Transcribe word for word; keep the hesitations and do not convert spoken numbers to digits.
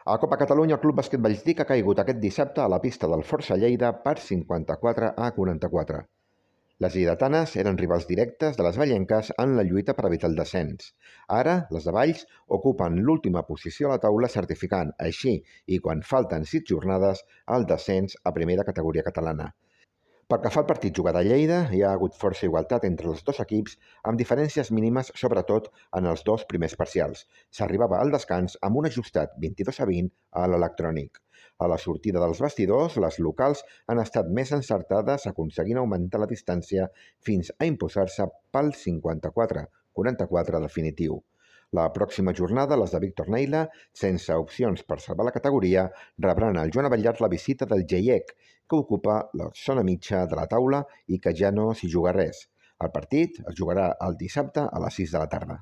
A Copa Catalunya, el Club Bàsquet Valldic ha caigut aquest dissabte a la pista del Força Lleida per cinquanta-quatre a quaranta-quatre. Les lleidatanes eren rivals directes de les vallenques en la lluita per evitar el descens. Ara, les de Valls ocupen l'última posició a la taula, certificant així, i quan falten sis jornades, el descens a primera categoria catalana. Pel que fa al partit jugat a Lleida, hi ha hagut força igualtat entre els dos equips, amb diferències mínimes, sobretot en els dos primers parcials. S'arribava al descans amb un ajustat vint-i-dos a vint a l'electrònic. A la sortida dels vestidors, les locals han estat més encertades, aconseguint augmentar la distància fins a imposar-se pel cinquanta-quatre a quaranta-quatre definitiu. La pròxima jornada, les de Víctor Neila, sense opcions per salvar la categoria, rebran al Joan Abellar la visita del Geiec, que ocupa la zona mitja de la taula i que ja no s'hi juga res. El partit es jugarà el dissabte a les sis de la tarda.